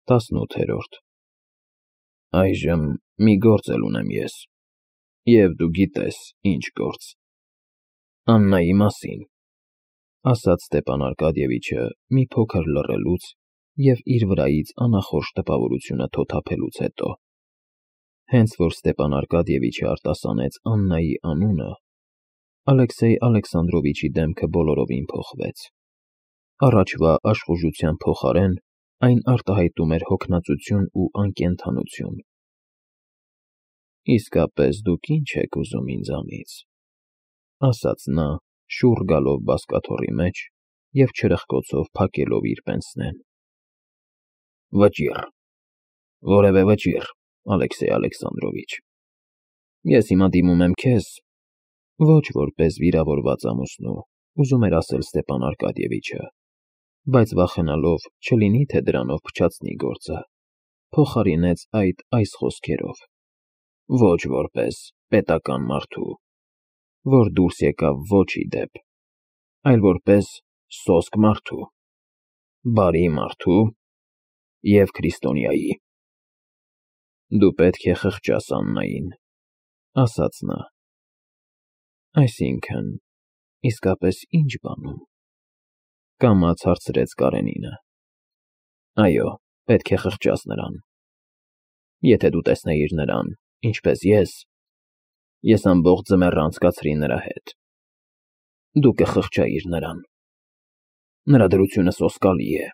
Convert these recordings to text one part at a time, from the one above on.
18-րդ Այժմ մի գործ էլ ունեմ ես, և դու գիտես ինչ գործ։ Աննայի մասին, ասաց Ստեփան Արկադիևիչը մի փոքր լռելուց և իր վրայից անախորժ տպավորությունը թոթափելուց հետո։ Հենց որ Ստեփան Արկադիևիչը արտասանեց Աննայի անունը, Ալեքսեյ Ալեքսանդրովիչի դեմքը բոլորովին փոխվեց։ Առաջվա աշխուժության փոխարեն այն արտահայտում էր հոգնածություն ու անկենդանություն։ Իսկապես դուք ինչ եք ուզում ինձանից, ասաց նա, շուռ գալով բազկաթոռի մեջ և չրպկոցով փակելով իր պենսնեն։ Վճիռ, որևէ վճիռ, Ալեքսեյ Ալեքսանդրովիչ։ Ես հիմա դիմում եմ քեզ, ոչ որպես վիրավորված ամուսնու, ուզում էր ասել Ստեփան Արկադիևիչը, բայց վախենալով, չլինի թե դրանով փչացնի գործը, փոխարինեց այդ այս խոսքերով. ոչ որպես պետական մարդու, որ դուրս եկավ ոչ ի դեպ, այլ որպես սոսկ մարդու, բարի մարդու և քրիստոնյայի։ Դու պետք է խղճաս Աննային, ասաց նա։ Այսինքն, իսկապես ինչ բանում, կամաց հարցրեց Կարենինը։ Այո, պետք է խղճաս նրան։ Եթե դու տեսնեիր նրան, ինչպես ես ամբողջ ձմեռը անցկացրի նրա հետ, դու կխղճայիր նրան։ Նրա դրությունը սոսկալի է,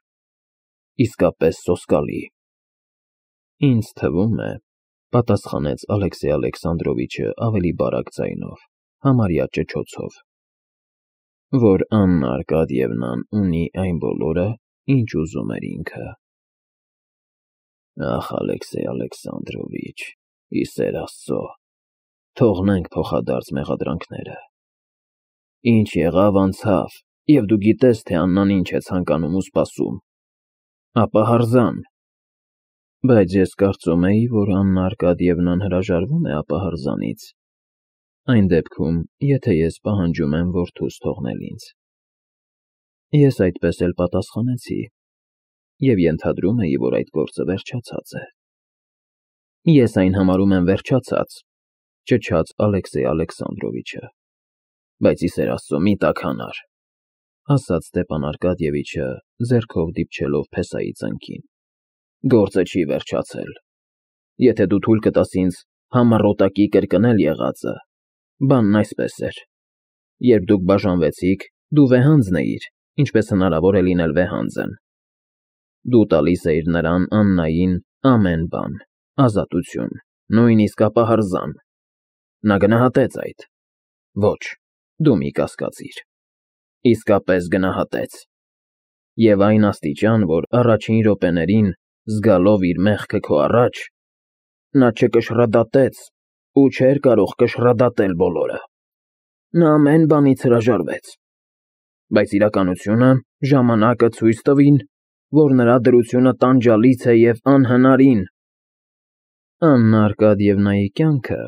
իսկապես սոսկալի։ Ինձ թվում է, պատասխանեց Ալեքսեյ Ալեքսանդրովիչը ավելի բարակ ձայնով, համարյա ճչոցով, որ Աննա Արկադիևնան ունի այն բոլորը, ինչ ուզում էր ինքը։ Ախ, Ալեքսեյ Ալեքսանդրովիչ, ի սեր Աստծո, թողնենք փոխադարձ մեղադրանքները։ Ինչ եղավ, անցավ, և դու գիտես, թե Աննան ինչ է ցանկանում ու սպասում։ Ապա հրաժարվան։ Բայց ես կարծում էի, որ Աննա Արկադիևնան հրաժարվում է ապահարզանից, այն դեպքում, եթե ես պահանջում եմ որդուս թողնել ինձ։ Ես այդպես էլ պատասխանեցի և ենթադրում էի, որ այդ գործը վերջացած է։ Ես այն համարում եմ վերջացած, ճչաց Ալեքսեյ Ալեքսանդրովիչը։ Բայց ի սեր Աստծո, մի տաքանար, ասաց Ստեփան Արկադիևիչը, ձեռքով դիպչելով փեսայի ծնկին։ Գործը չի վերջացել։ Եթե դու թույլ կտաս ինձ համառոտակի կրկնել եղածը, բանն այսպես էր. երբ դուք բաժանվեցիք, դու վեհանձն էիր, ինչպես հնարավոր է լինել վեհանձն։ Դու տալիս էիր նրան, Աննային, ամեն բան, ազատություն, նույնիսկ ապահարզան։ Նա գնահատեց այդ։ Ոչ, դու մի կասկածիր։ Իսկապես գնահատեց։ Եվ այն աստիճան, որ առաջին րոպեներին, զգալով իր մեղքը քո առաջ, նա չկշռադատեց ու չէր կարող կշռադատել բոլորը։ Նա ամեն բանից հրաժարվեց։ Բայց իրականությունը, ժամանակը ցույց տվին, որ նրա դրությունը տանջալից է և անհնարին։ Աննա Արկադիևնայի կյանքը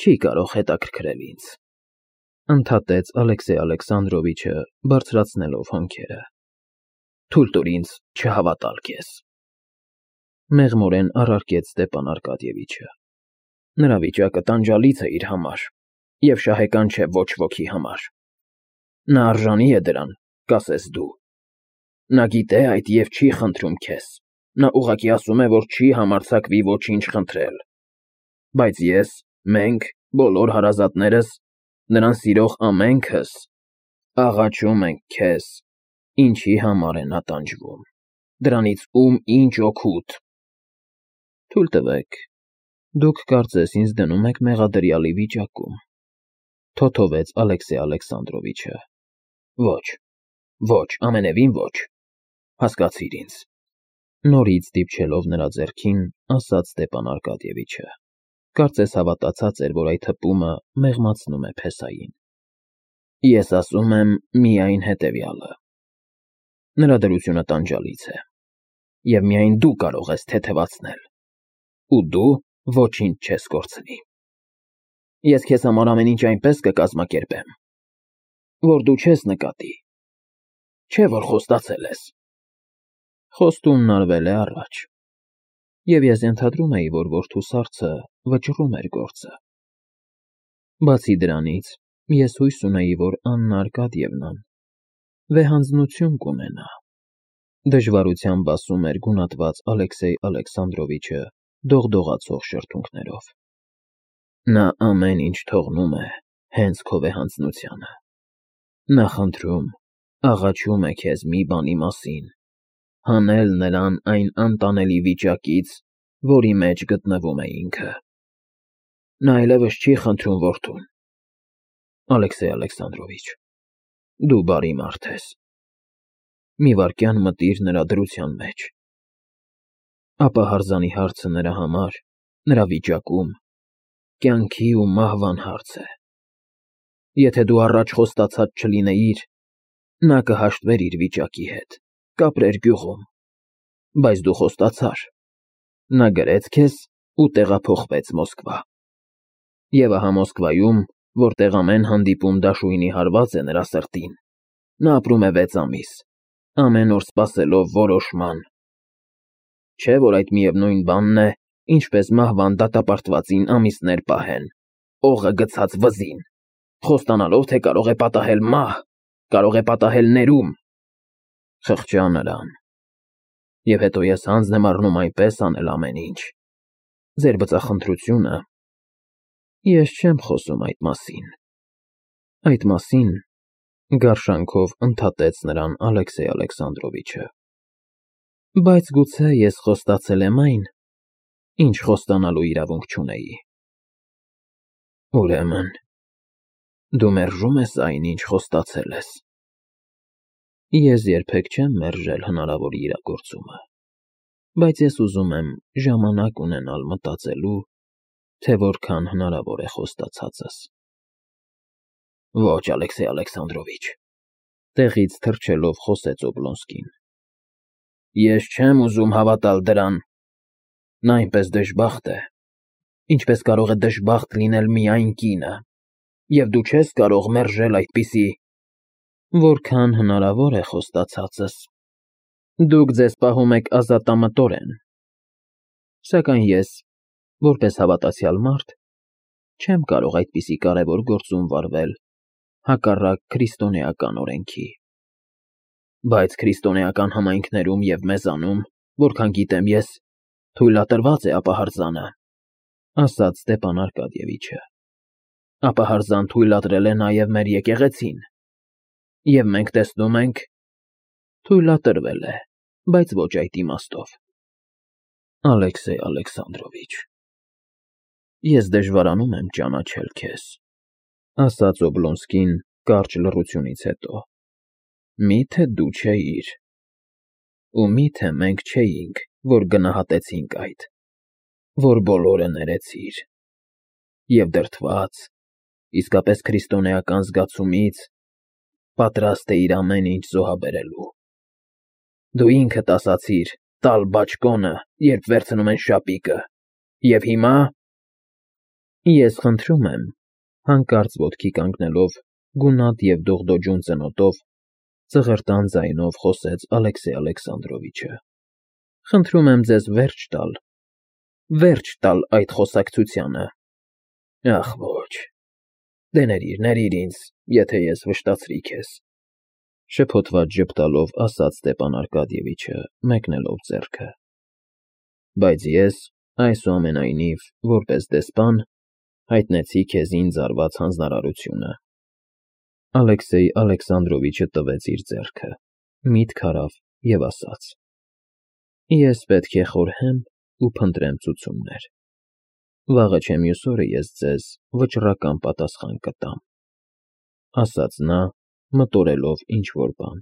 չի կարող հետաքրքրել ինձ, ընդհատեց Ալեքսեյ Ալեքսանդրովիչը, բարձրացնելով հոնքերը։ Թույլ տուր ինձ չհավատալ քեզ։ Մեղմորեն առարկեց Ստեփան Արկադիևիչը։ Նրա վիճակը տանջալից է իր համար և շահեկան չէ ոչ ոքի համար։ Նա արժանի է դրան, կասես դու։ Նա գիտե այդ և չի խնդրում քեզ։ Նա ուղղակի ասում է, որ չի համարձակվի ոչինչ խնդրել։ Բայց ես, մենք, բոլոր հարազատներս, նրան սիրող ամենքս, աղաչում ենք քեզ, ինչի համար է նա տանջվում, դրանից ում ինչ օգուտ։ Թույլ տվեք, դուք կարծես ինձ դնում եք մեղադրյալի վիճակում, թոթովեց Ալեքսեյ Ալեքսանդրովիչը։ Ոչ, ոչ, ամենևին ոչ, հասկացիր ինձ։ Նորից դիպչելով նրա ձեռքին, ասաց Ստեփան Արկադիևիչը, կարծես հավատացած էր, որ այդ հպումը մեղմացնում է փեսային։ Ես ասում եմ միայն հետևյալը. նրա դրությունը տանջալից է, և միայն դու կարող ես թեթևացնել, ու դու ոչինչ չես կորցնի։ Ես քեզ համար ամեն ինչ այնպես կկազմակերպեմ, որ դու չես նկատի, չէ՞ որ խոստացել ես։ Խոստումն արվել է առաջ, Եվ ես ենթադրում էի, որ որդու սառցը վճռում էր գործը։ Բացի դրանից, ես հույս ունեի, որ Աննա Արկադիևնան վեհանձնություն կունենա։ Դժվարությամբ ասում էր գունատված Ալեքսեյ Ալեքսանդրովիչը դողդողացող շրթունքներով։ Նա ամեն ինչ թողնում է հենց քո վեհանձնությանը։ Նա խնդրում, աղաչում է քեզ մի բանի մասին, հանել նրան այն անտանելի վիճակից, որի մեջ գտնվում է ինքը։ Նա այլևս չի խնդրում որդուն։ Ալեքսեյ Ալեքսանդրովիչ, դու բարի մարդ ես։ Մի վայրկյան մտիր նրա դրության մեջ։ Ապա հարձանի հարցը նրա համար, նրա վիճակում, կյանքի ու մահվան հարց է։ Եթե դու առաջ խոստացած չլինեիր, նա կհաշտվեր իր վիճակի հետ, կապրեր գյուղում, բայց դու խոստացար։ Նա գրեց քեզ ու տեղափոխվեց Մոսկվա։ Եվ ահա Մոսկվայում, որտեղ ամեն հանդիպում դաշույնի հարված է նրա սրտին, նա ապրում է 6 ամիս, ամեն օր սպասելով որոշման։ Չէ՞ որ այդ միևնույն բանն է, ինչպես մահվան դատապարտվածին ամիսներ պահեն, օղը գցած վզին, խոստանալով, թե կարող է պատահել մահ, կարող է պատահել ներում։ Խղճա նրան։ Եվ հետո ես հանձն եմ առնում այնպես անել ամեն ինչ։ Ձեր բծախնդրությունը… Ես չեմ խոսում այդ մասին։ Այդ մասին, գարշանքով ընդհատեց նրան Ալեքսեյ Ալեքսանդրովիչը։ Բայց գուցե ես խոստացել եմ այն, ինչ խոստանալու իրավունք չունեի։ Ուրեմն, դու մերժում ես այն, ինչ խոստացել ես։ Ես երբեք չեմ մերժել հնարավոր իրագործումը, բայց ես ուզում եմ ժամանակ ունենալ մտածելու, թե որքան հնարավոր է խոստացածս։ Ոչ, Ալեքսեյ Ալեքսանդրովիչ, տեղից թռչելով խոսեց Օբլոնսկին։ Ես չեմ ուզում հավատալ դրան։ Նա այնպես դժբախտ է, ինչպես կարող է դժբախտ լինել միայն կինը, և դու չես կարող մերժել այդպիսի… Որքան հնարավոր է խոստացածս։ Դուք ձեզ պահում եք ազատամտորեն։ Սակայն ես, որպես հավատացյալ մարդ, չեմ կարող այդպիսի կարևոր գործում վարվել հակառակ քրիստոնեական օրենքի։ Բայց քրիստոնեական համայնքներում և մեզանում, որքան գիտեմ ես, թույլատրված է ապահարզանը, ասաց Ստեփան Արկադիևիչը։ Ապահարզան թույլատրել է նաև մեր եկեղեցին։ Եվ մենք տեսնում ենք… Թույլատրվել է, բայց ոչ այդ իմաստով։ Ալեքսեյ Ալեքսանդրովիչ, ես դժվարանում եմ ճանաչել քեզ, ասաց Օբլոնսկին կարճ լռությունից հետո։ Մի՞թե դու չէիր… Ու մի՞թե մենք չէինք, որ գնահատեցինք այդ, որ բոլորը ներեցիր… Եվ դրդված, իսկապես քրիստոնեական զգացումից, պատրաստ էիր ամեն ինչ զոհաբերելու։ Դու ինքդ ասացիր տալ բաճկոնը, երբ վերցնում են շապիկը, և հիմա… Ես խնդրում եմ, հանկարծ ոտքի կանգնելով, գունատ և դողդոջուն ծնոտով, ծղրտան ձայնով խոսեց Ալեքսեյ Ալեքսանդրովիչը։ Խնդրում եմ ձեզ վերջ տալ այդ խոսակցությանը։ Ախ, ոչ… Դե ներիր ինձ, եթե ես վշտացրի քեզ, շփոթված ժպտալով ասաց Ստեփան Արկադիևիչը, մեկնելով ձեռքը։ Բայց ես, այսուամենայնիվ, որպես դեսպան, հայտնեցի քեզ ինձ արված հանձնարարությունը։ Ալեքսեյ Ալեքսանդրովիչը տվեց իր ձեռքը, միտք արավ և ասաց. Ես պետք է խորհեմ ու փնտրեմ ցուցումներ։ Վաղը չէ մյուս օրը ես ձեզ վճռական պատասխան կտամ, ասաց նա, մտորելով ինչ-որ բան։